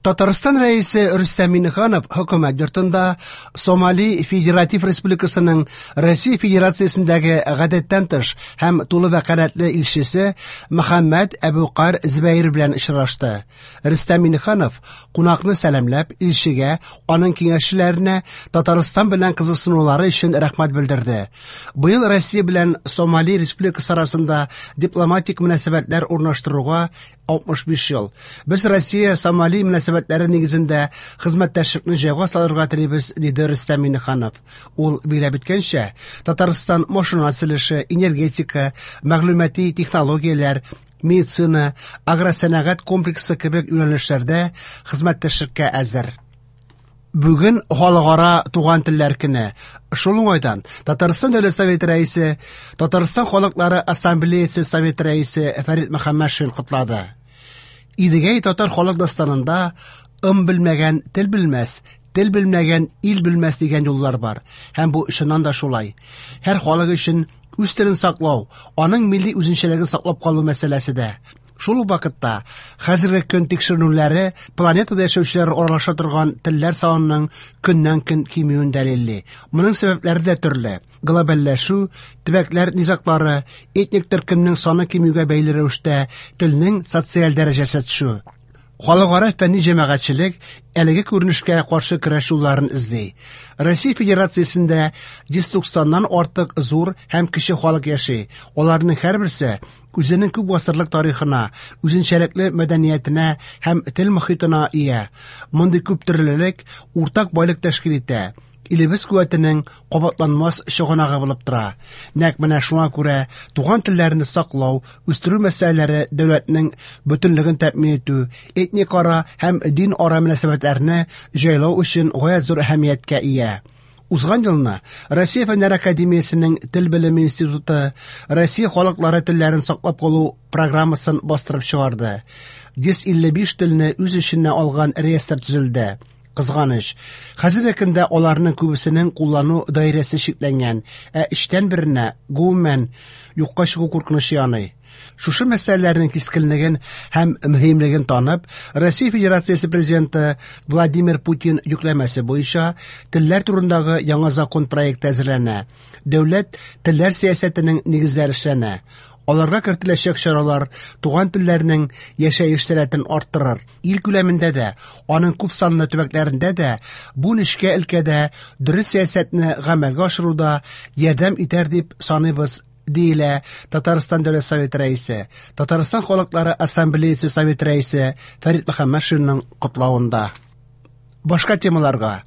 Татарстан Рәисе Рөстәм Миңнеханов Хөкүмәт йортында Сомали Федератив Республикасының Россия Федерациясендәге гадәттән тыш һәм тулы вәкаләтле илчесе Мөхәммәд Әбүкар Зөбәер белән очрашты. Рөстәм Миңнеханов кунакны сәламләп, илчегә, аның киңәшчеләренә Татарстан белән кызыксынулары өчен рәхмәт белдерде. Быел Россия белән Сомали Республикасы арасында дипломатик мөнәсәбәтләр урнаштыруга 65 ел. Без Россия Сомали мөнәсәбәтләре нигезендә хезмәттәшлекне җайга салырга телибез, диде Рөстәм Миңнеханов. Ул билгеләп үткәнчә, Татарстан машина төзелеше, энергетика, мәгълүмати технологияләр, медицина, агросәнәгать комплексы кебек юнәлешләрдә хезмәттәшлеккә әзер. Бүген халыкара туган телләр көне. Шул уңайдан Татарстан Дәүләт Советы рәисе, Татарстан халыклары ассамблеясе Советы рәисе Фәрит Мөхәммәтшин котлады. Идегәй татар халык дастанында ым белмәгән тел белмәс, тел белмәгән ил белмәс дигән юллар бар. Һәм бу чыннан да шулай. Һәр халык өчен үз телен саклау, аның милли үзенчәлеген саклап калу мәсьәләсе дә. Шул ук вакытта хәзерге көн тикшеренүләре планетада яшәүчеләр аралаша торган телләр санының көннән-көн кимүен дәлилли. Моның сәбәпләре дә төрле. Глобальләшү, төбәкләр низаглары, этник төркемнең саны кимүгә бәйле рәвештә телнең социаль дәрәҗәсе төшү. Халыкара фәнни җәмәгатьчелек әлеге күренешкә каршы көрәш юлларын эзли. Россия Федерациясендә 190-нан артык зур һәм кече халык яши. Аларның һәрберсе үзенең күп гасырлык тарихына, үзенчәлекле мәдәниятенә һәм тел мохитына ия. Мондый күптөрлелек уртак байлык тәшкил итә, илебез куәтенең кабатланмас чыганагы булып тора. Нәкъ менә шуңа күрә туган телләрне саклау, үстерү мәсьәләләре дәүләтнең бөтенлеген тәэмин итү, этникара һәм дин-ара мөнәсәбәтләрне җайлау өчен гаять зур әһәмияткә ия. Узган елны Россия Фәннәр академиясенең Тел белеме институты Россия халыклары телләрен саклап калу программасын бастырып чыгарды. 155 телне үз эченә алган реестр төзелде. Кызганыч, хәзерге көндә аларның күбесенең куллану даирәсе чикләнгән, ә өчтән беренә, гомумән, юкка чыгу куркынычы яный. Шушы мәсьәләләрнең кискенлеген һәм мөһимлеген танып, Россия Федерациясе Президенты Владимир Путин йөкләмәсе буенча телләр турындагы яңа закон проекты әзерләнә. Дәүләт телләр сәясәтенең нигезләре эшләнә. Аларга кертеләчәк чаралар туган телләрнең яшәеш сәләтен арттырыр. Ил күләмендә дә, аның күпсанлы төбәкләрендә дә бу нечкә өлкәдә дөрес сәясәтне гамәлгә ашыруда ярдәм итәр дип саныйбыз, диелә Татарстан Дәүләт Советы Рәисе, Татарстан халыклары ассамблеясе Советы Рәисе Фәрит Мөхәммәтшинның котлавында. Башка темаларга.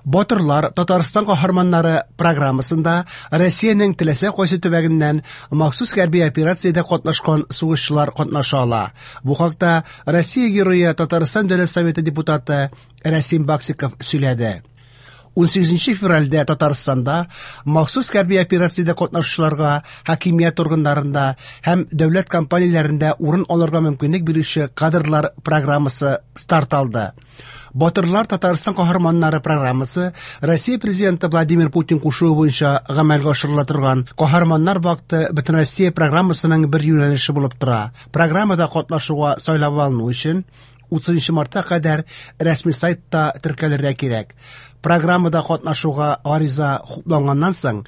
Батырлар Татарстан каһарманнары программасында Россиянең теләсә кайсы төбәгеннән махсус хәрби операциядә катнашкан сугышчылар катнаша ала. Бу хакта Россия Герое Татарстан Дәүләт Советы депутаты Рәсим Баксиков сөйләде. 18 февральдә Татарстанда махсус хәрби операциядә катнашучыларга хакимият органнарында һәм дәүләт компанияләрендә урын алырга мөмкинлек бирүче кадрлар программасы старт алды. Батырлар Татарстан каһарманнары программасы Россия Президенты Владимир Путин кушуы буенча гамәлгә ашырыла торган Каһарманнар вакыты Бөтенроссия программасының бер юнәлеше булып тора. Программада катнашуга сайлап алыну өчен 30 мартка кадәр рәсми сайтта теркәлергә кирәк. Программада катнашуга гариза хупланганнан соң,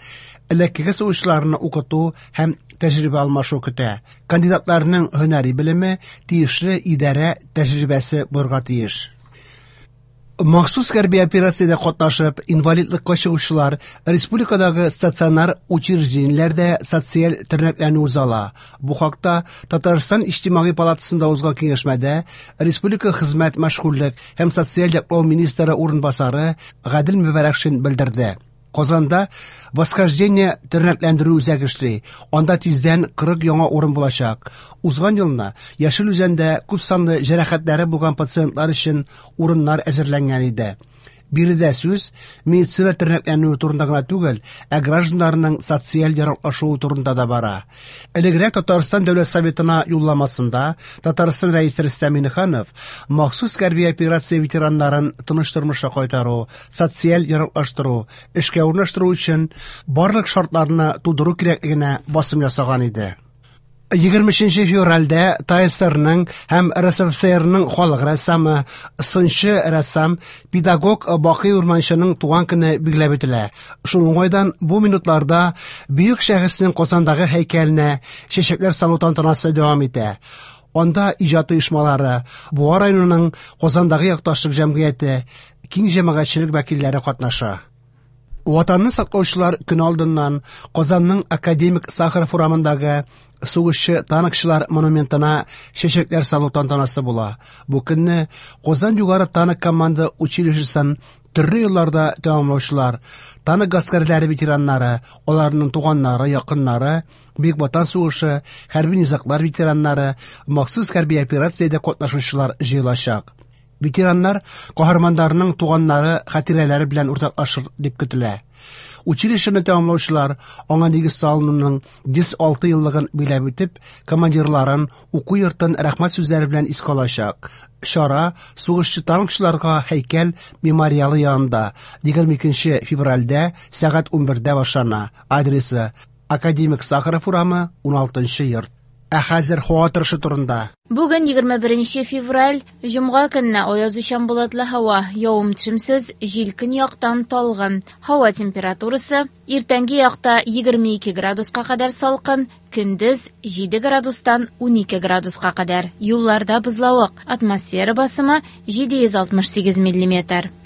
элеккеге сугышчыларны укыту һәм тәҗрибә алмашу көтә. Кандидатларның һөнәри белеме тиешле идарә тәҗрибәсе булырга тиеш. Махсус хәрби операциядә катнашып, инвалидлыкка чыгучылар республикадагы стационар учреждениеләрдә социаль тернәкләнү уза ала. Бу хакта Татарстан Иҗтимагый палатасында узган киңәшмәдә республика хезмәт, мәшгульлек һәм социаль яклау министры урынбасары Гадел Мөбәрәкшин белдерде. Казанда Восхождение тернәкләндерү үзәге эшли. Анда тиздән 40 яңа урын булачак. Узган елны Яшел Үзәндә күпсанлы җәрәхәтләре булган пациентлар өчен урыннар әзерләнгән иде. Биредә сүз медицина тернәкләнүе турында гына түгел, ә гражданнарның социаль яраклашуы турында да бара. Элегрәк Татарстан Дәүләт Советына юлламасында Татарстан Рәисе Рөстәм Миңнеханов махсус хәрби операция ветераннарын тыныч тормышка кайтару, социаль яраклаштыру, эшкә урнаштыру өчен барлык шартларны тудыру кирәклегенә басым ясаган иде. 23 февральдә ТАССРның һәм РСФСРның халык рәссамы, сынчы рәссам, педагог Бакый Урманченың туган көне билгеләп үтелә. Шул уңайдан бу минутларда бөек шәхеснең Казандагы һәйкәленә чәчәкләр салу тантанасы дәвам итә. Анда иҗат оешмалары, Буа районының Казандагы якташлык җәмгыяте, киң җәмәгатьчелек вәкилләре катнаша. Ватанны саклаучылар көне алдыннан Казанның Академик Сахаров урамындагы сугышчы танкчылар монументына чәчәкләр салу тантанасы була. Бу көнне Казан югары танк команда училищесын төрле елларда тәмамлаучылар, танк гаскәрләре ветераннары, аларның туганнары, якыннары, Бөек Ватан сугышы, хәрби низаглар ветераннары, махсус хәрби операциядә катнашучылар җыелачак. Ветераннар каһарманнарның туганнары хатирәләре белән уртаклашыр дип көтелә. Училищены тәмамлаучылар аңа нигез салынуның 106 еллыгын биләп үтеп, командирларын, уку йортын рәхмәт сүзләре белән искә алачак. Чара сугышчы танкчыларга һәйкәл мемориалы янында 22 февральдә сәгать 11дә башлана. Адресы: Академик Сахаров урамы, 16 йорт. Ә хәзер һава торышы турында. Бүген 21 февраль, җомга көнне аязучан болытлы һава, явым-төшемсез, җил көньяктан талгын. Һава температурасы иртәнге якта 22 градуска кадәр салкын, көндез 7 градустан 12 градуска кадәр. Юлларда бозлавык, атмосфера басымы 768 миллиметр.